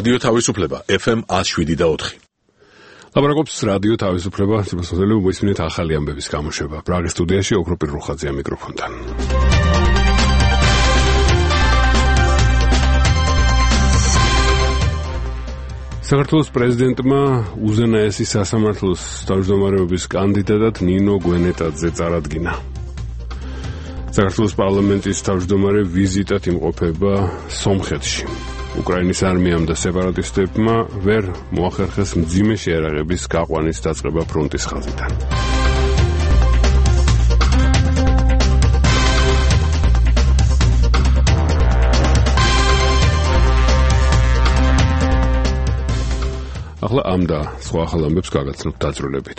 რადიო თავისუფლება FM 107.4. ლაპარაკობს რადიო თავისუფლება, სიბრალდელი მოისმინეთ ახალი ამბების გამოშვება. პრაღის სტუდიაში ოქროპირ რუხაძეა მიკროფონთან. საქართველოს პრეზიდენტმა უზენაესი სასამართლოს თავმჯდომარეობის კანდიდატად ნინო გვენეტაძე წარადგინა. საქართველოს პარლამენტის თავმჯდომარე ვიზიტად იმყოფება სომხეთში. უკრაინის არმიამ და სეპარატისტებმა ვერ მოახერხეს მძიმე შეერაღების გაყვანის დაწყება ფრონტის ხაზიდან. ახლა ამ და სხვა ახალ ამბებს გაგაცნობთ დაწვრილებით.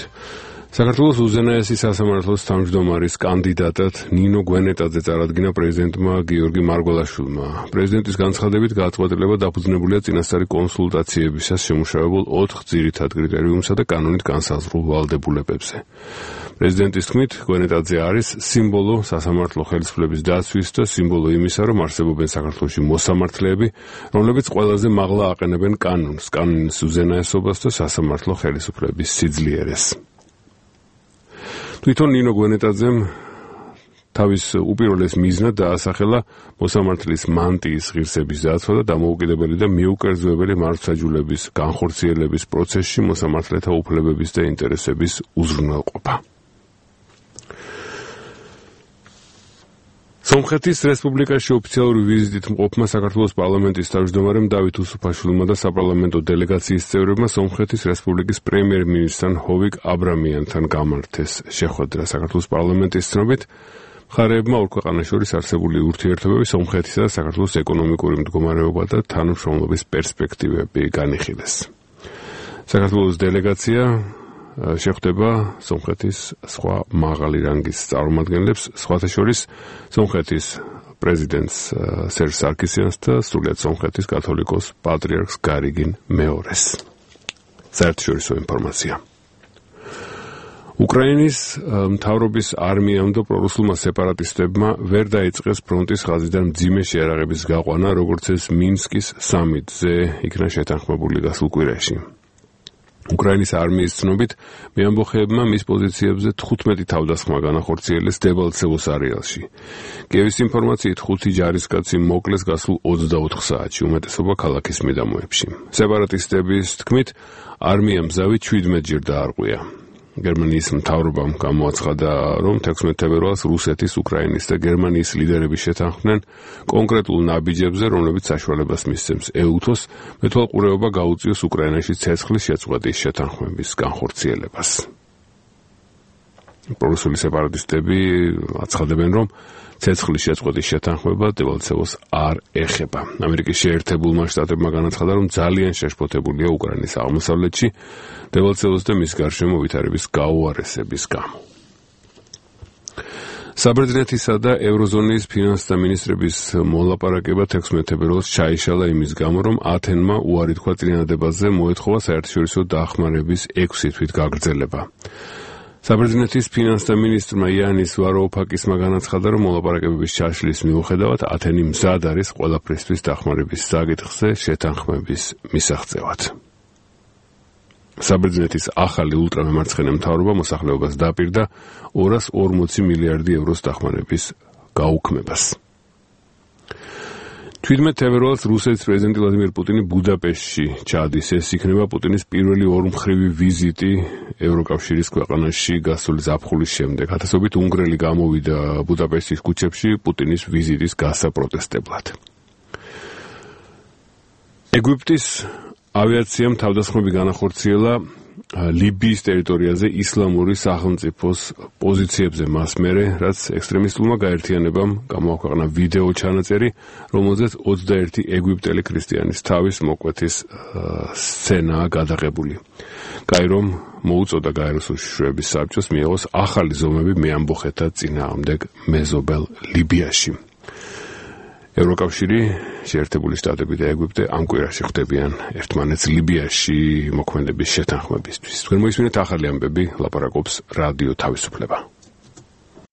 საქართველოს უზენაესი სასამართლოს თავმჯდომარის კანდიდატად ნინო გვენეტაძე წარადგინა პრეზიდენტმა გიორგი მარგველაშვილმა. პრეზიდენტის განცხადებით გადაწყვეტილება დაფუძნებულია წინასწარი კონსულტაციებისას შემუშავებულ 4 ძირითად კრიტერიუმსა და კანონით განსაზღვრულ ვალდებულებებზე. პრეზიდენტის თქმით, გვენეტაძე არის სიმბოლო სასამართლო ხელისუფლების დაცვის და სიმბოლო იმისა, რომ არსებობენ საქართველოში მოსამართლეები, რომლებიც ყველაზე მაღლა აყენებენ კანონს, კანონის უზენაესობას და სასამართლო ხელისუფლების სიძლიერეს. თვითონ ნინო გვენეტაძემ თავის უპირველეს მიზნად დაასახელა მოსამართლის მანტიის ღირსების დაცვა და დამოუკიდებელი და მიუკერძოებელი მართლმსაჯულების განხორციელების პროცესში მოსამართლეთა უფლებების და ინტერესების უზრუნველყოფა. სომხეთის რესპუბლიკაში ოფიციალური ვიზიტით მყოფმა საქართველოს პარლამენტის თავმჯდომარემ დავით უსუფაშვილმა და საპარლამენტო დელეგაციის წევრებმა სომხეთის რესპუბლიკის პრემიერ-მინისტრთან ჰოვიკ აბრამიანთან გამართეს შეხვედრა. საქართველოს პარლამენტის ცნობით, მხარეებმა ორ ქვეყანას შორის არსებული ურთიერთობები სომხეთისა და საქართველოს ეკონომიკური მდგომარეობა და თანამშრომლობის პერსპექტივები განიხილეს. საქართველოს დელეგაცია შეხვდება სომხეთის სხვა მაღალი რანგის წარმომადგენლებს, სხვათა შორის სომხეთის პრეზიდენტს სერჟ სარკისიანს და სრულიად სომხეთის კათოლიკოს პატრიარქს გარიგინ მეორეს. საერთაშორისო ინფორმაცია. უკრაინის მთავრობის არმიამ და პრორუსულმა სეპარატისტებმა ვერ დაიწყეს ფრონტის ხაზიდან მძიმე შეერაღების გაყვანა, როგორც ეს მინსკის სამიტზე იქნა შეთანხმებული გასულ კვირაში. უკრაინის არმიის ცნობით, მეამბოხეებმა მის პოზიციებზე 15 თავდასხმა განახორციელეს დებალცევოს არეალში. კიევის ინფორმაციით 5 ჯარისკაცი მოკლეს გასულ 24 საათში, უმეტესობა ქალაქის მიდამოებში. სეპარატისტების თქმით, არმიამ მზავი 17 ჯერ დაარღვია. გერმანიის მთავრობამ გამოაცხადა, რომ 16 თებერვალს რუსეთის, უკრაინის და გერმანიის ლიდერები შეთანხმდნენ კონკრეტულ ნაბიჯებზე, რომლებიც საშუალებას მისცემს ეუთოს მეთვალყურეობა გაუწიოს უკრაინაში ცეცხლის შეწყვეტის შეთანხმების განხორციელებას. პრორუსული სეპარატისტები აცხადებენ, რომ ცეცხლის შეწყვეტის შეთანხმება დებალცევოს არ ეხება. ამერიკის შეერთებულმა შტატებმა განაცხადა, რომ ძალიან შეშფოთებულია უკრაინის აღმოსავლეთში დებალცევოს და მის გარშემო ვითარების გაუარესების გამო. საბერძნეთისა და ევროზონის ფინანსთა მინისტრების მოლაპარაკება 16 თებერვალს ჩაიშალა იმის გამო, რომ ათენმა უარი თქვა წინადადებაზე, მოეთხოვა საერთაშორისო დახმარების 6 თვით გაგრძელება. საბერძნეთის ფინანსთა მინისტრმა იანის ვაროუფაკისმა განაცხადა, რომ მოლაპარაკებების ჩაშლის მიუხედავად ათენი მზად არის ყველაფრისთვის დახმარების საკითხზე შეთანხმების მისაღწევად. საბერძნეთის ახალი ულტრამემარცხენე მთავრობა მოსახლეობას დაპირდა 240 მილიარდი ევროს დახმარების გაუქმებას. 17 თებერვალს რუსეთის პრეზიდენტი ვლადიმერ პუტინი ბუდაპეშტში ჩადის. ეს იქნება პუტინის პირველი ორმხრივი ვიზიტი ევროკავშირის ქვეყანაში გასული ზაფხულის შემდეგ. ათასობით უნგრელი გამოვიდა ბუდაპეშტის ქუჩებში პუტინის ვიზიტის გასაპროტესტებლად. ეგვიპტის ავიაციამ თავდასხმები განახორციელა ლიბიის ტერიტორიაზე ისლამური სახელმწიფოს პოზიციებზე მას მერე, რაც ექსტრემისტულმა გაერთიანებამ გამოაქვეყნა ვიდეო ჩანაწერი, რომელზეც 21 ეგვიპტელი ქრისტიანის თავის მოკვეთის სცენაა გადაღებული. კაირომ მოუწოდა გაეროს უშიშროების საბჭოს მიიღოს ახალი ზომები მეამბოხეთა წინააღმდეგ მეზობელ ლიბიაში. ევროკავშირი, შეერთებული შტატები და ეგვიპტე ამ კვირაში ხვდებიან ერთმანეთს ლიბიაში მოქმედების შეთანხმებისთვის. თქვენ მოისმინეთ ახალი ამბები, ლაპარაკობს რადიო თავისუფლება.